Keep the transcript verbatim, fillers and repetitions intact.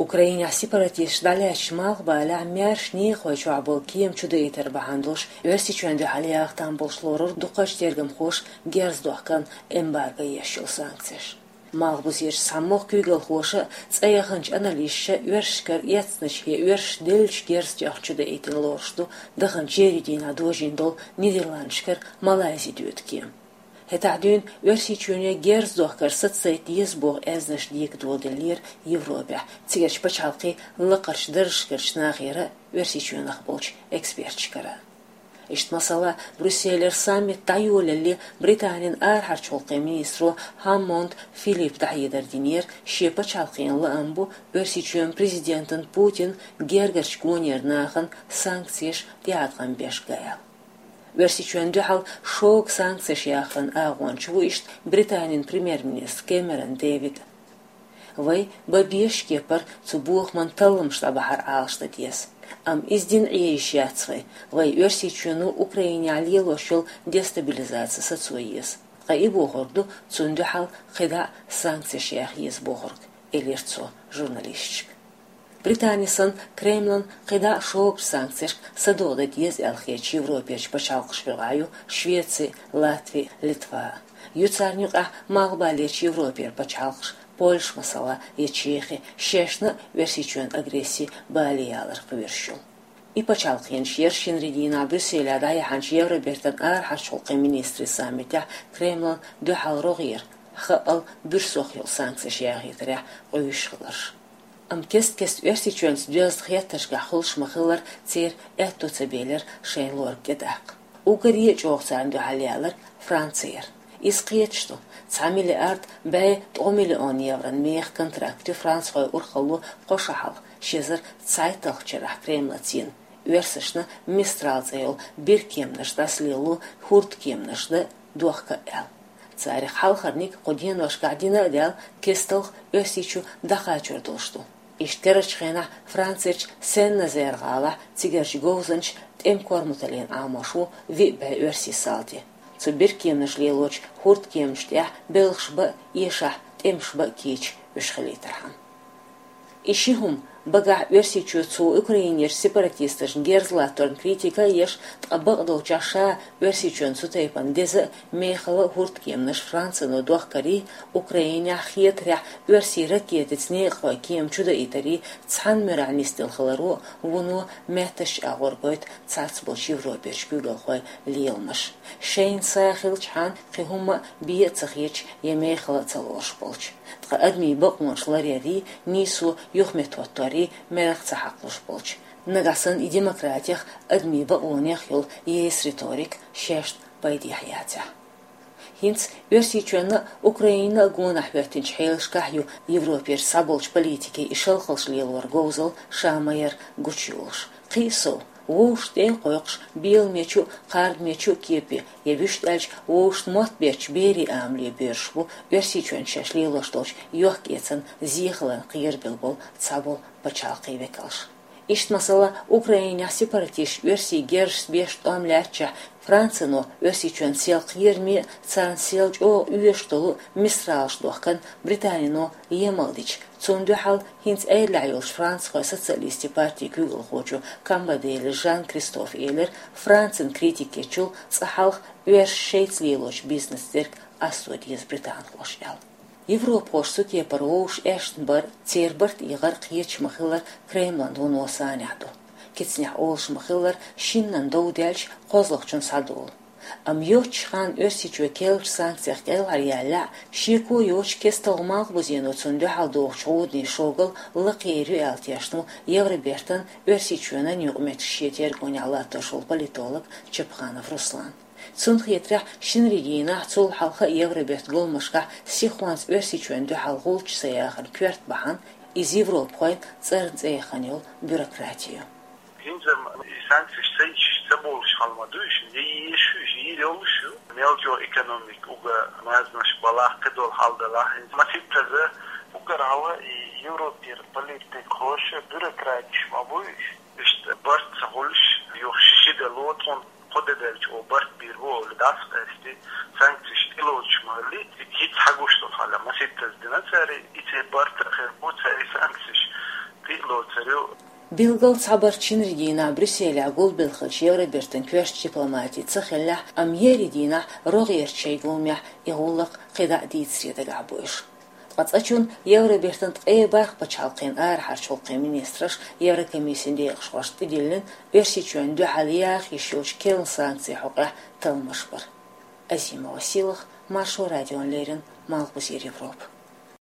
Украинехь сепаратисташ дӀалаьцначу Малхбалехь маьрша некъахой чохь болу кема чудаийтар бахьана долуш, Оьрсийчоьнна дуьхьал яха там болуш лорура дукхачу тергамхоша герз дохкан эмбарго еш йолу санкцеш. Малхбузерчу цхьамогӀа куьйгалхоша а, цӀа яханчу аналисташа а оьрсашкара эцначу я оьрсаша деллачу герзех чудаийтина лоруш ду даханчу еарин дийнахь дожийна долу Нидерландашкара Малайзи доьду кема. ХӀетахь дуьйна Оьрсийчоьне герз дохкар сацадайта деза боху аьзнаш дегадоладеллера Европехь, цигарчу пачхьалкхийн лакхарчу даржашкарчу нахера а, Оьрсийчоьнах болчу эксперташкара а. Иштта масала, Брюсселера саммит дӀайолале Британин арахьарчу гӀуллакхийн министро Хаммонд Филиппа дӀахьедар динера, шен пачхьалкхана лаам бу Оьрсийчоьнан президентан Путин гергарчу гонера нахана санкцеш тӀеӀаткъам беш ган аьлла. Оьрсийчоьнна дуьхьал шога санкцеш яхаран агӀонча ву иштта Британин премьер-министр Кэмерон Дэвид. Вай бан безаш кепара цу бохаман талламаш дӀабахьар Ӏалашдан деза. Амма иза дина Ӏен йиш яц вай. Вай Оьрсийчоьно Украинехь лелош йолу дестабилизаци сацо еза. Ткъа и бохург ду, цунна дуьхьал кхидӀа а санкцеш яха еза бохург, элира цо журналисташка. Британи санна, Кремлан кхидӀа а шогачу санкцешка садоӀа дан деза аьлла хетачу Европерчу пачхьалкхашна юкъахь ю Швеци, Латви, Литва. Ю царна юкъахь Малхбалерчу Европера пачхьалкхаш, Польша масала, я Чехи, шайшна а Оьрсийчоьнан агресси бале ялар кхоьруш ю. И пачхьалкхенаш яра шинарин дийнахь Брюсселехь дӀаяьхьначу Евробертан арахьарчу гӀуллакхийн министрийн саммитехь Кремлан дуьхьал рогӀера, хаъал буьрсох йолу санкцеш яхийтарехь къуьйсуш хиларш. Амма кест-кеста Оьрсийчоьнца доьзна хеттаршкахь хуьлуш ма-хиллара, церан аьтто ца белира шайна лорга тӀедаккха. Уггаре а чӀогӀа царна дуьхьал яларг Франци яра. Иза кхеташ ду, цхьа миллиард бӀе ткъа миллион еврон механ контракт ю францхойн урхалло кхо шо хьалха, ши эзар цхьайтталгӀачу шарахь Кремлаца йина, оьрсашна Мистрал цӀе йолу биркеманаш дӀасалело, хӀордкеманаш дан дохка аьлла. Царах хьалхарниг кху деношкахь дина а даьлла, кесталгӀа Оьрсийчу дӀакхачор долуш ду. Иштта карарчу хенахь Францерчу Сен-Назер гӀалахь цигарчу говзанчаша тӀеман корматаллина Ӏамош ву виъ бӀе оьрсийн салти. Цу биркеманаш лелочу хӀордкеманаш тӀехь белхаш бан а, эшахь тӀемаш бан а кийча уьш хилийтархьама. И ши хӀума, багахь Оьрсийчоьнца Украинерчу сепаратисташна герз латторна критика а еш, ткъа бакъдолчохь ша Оьрсийчоьнна цу тайпана деза а, мехала а хӀордкеманаш Францино дохкарий, Украинехь хетарехь оьрсийн ракетица некъахойн кема чудаийтарий цхьана муьрехь нисделла хиларо а вуно меттаьшна агӀор гойту цхьацболчу Европерчу куьйгалхойн леламаш. Шайна са хилчхьана кхин хӀумма а бен а ца хеташ я мехала а ца лоруш болчу. Ткъа адамийн бакъонаш ларъярий, нийсо юхаметтахӀотторий мерах ца хьакхалуш болчу. Нагахь санна и демократех, адамийн бакъонех йолу ейс риторика шайшна пайдехь яцахь. ХӀинца Оьрсийчоьнна а, Украинна а гонахь хӀоьттинчу хьелашкахь ю Европерчу цхьаболчу политикийн и шалхаллаш лелоран говзалла ша ма-ярра гучуйолуш. Кхин а сов, вовшашна тӀе а кхойкхуш, беламечу а, кхардамечу а кепе, я вуьшта аьлча, вовшашна мотт беттачу берийн амале боьрзуш бу Оьрсийчоьнца шаьш лелош долчу йохк-эцарна зен хиларна кхерабелла болу цхьаболу пачхьалкхийн векалш. Иштта масала, Украинехь сепаратисташа оьрсийн герзашца беш тӀом лаьттачохь, Францино Оьрсийчоьнан сел кхераме а, царна сел чӀогӀа оьшуш долу Мистралаш дохкарна Британино емал дича, цунна дуьхьал хӀинца Ӏедалехь йолчу францхойн социалистийн партин куьйгалхочо Камбадели Жан-Кристофа элира, Францин критика ечул цкъа хьалха оьрсаша шайца лелочу бизнес дерг къасто деза британхоша аьлла. Европахоша цу кепара вовшашна аьшна бар а, церан барт эгӀар а кхеташ ма-хиллара Кремлан вуно санехь ду. Кицанехь олуш ма-хиллара, шиннан дов даьлча кхозлагӀчун схьадолу. Амма йоццачу ханна Оьрсийчоь керлачу санкцех кӀелхьаръяьллехь а, шеко йоцуш кесталгӀа Малхбузено цунна дуьхьал дохучу гӀуданийн шогалла лакхера ю аьлла тешна ву Евробертан, Оьрсийчоьнан юкъаметтигашна шен тергонехь латтош волу политолог Чапханов Руслан. Цунна хетарехь, шинарин дийнахь, цул хьалха а Евробертан гуламашкахь сихонца Оьрсийчоьнна дуьхьал гӀулч ца яхаран коьрта бахьана иза европахойн цӀарна цӀе яхана йолу бюрократи ю. ХӀинца и санкцеш ца йиш, ца болуш хьал ма ду уьш, я еш ю уьш, йийр йолуш ю. Мел чӀогӀа экономика уггар маьрзанаш балахь, кхидолу хьал далахь. ХӀинца масийттаза уггар хьала и Европера политикхоша, бюрократаш ма бу уьш. Иштта барт ца хуьлуш, юха ши-ши де ло тхуна, кхо де даьлча оха барт бийр бу олий, дӀасакъаьсти санкцеш тӀелоцуш ма хиллий, хӀинца хьагуш долу хьал масийттаза дина цара, и церан барт а хир бу, цара и санкцеш Билггал цхьабарчча шинарин дийнахьа Брюсселехь гулбелла хиллача Евробертан коьртачу дипломатийн ца хиллехь, амма еарин дийнахьа рогӀерчу шайн гуламехь и гӀуллакх кхин дӀа а дийцаре дагахь бу уьш. Ткъа цкъачунна Евробертан ткъе бархӀ пачхьалкхан арахьарчу гӀуллакхийн министраша Еврокомиссин декъашхошна тӀедиллина Оьрсийчоьнна дуьхьал яха йиш йолчу керла санкцийн хьокъехь талламаш бар. Азимова Силах, Маршо радиона леррина, Малхбузера Европа.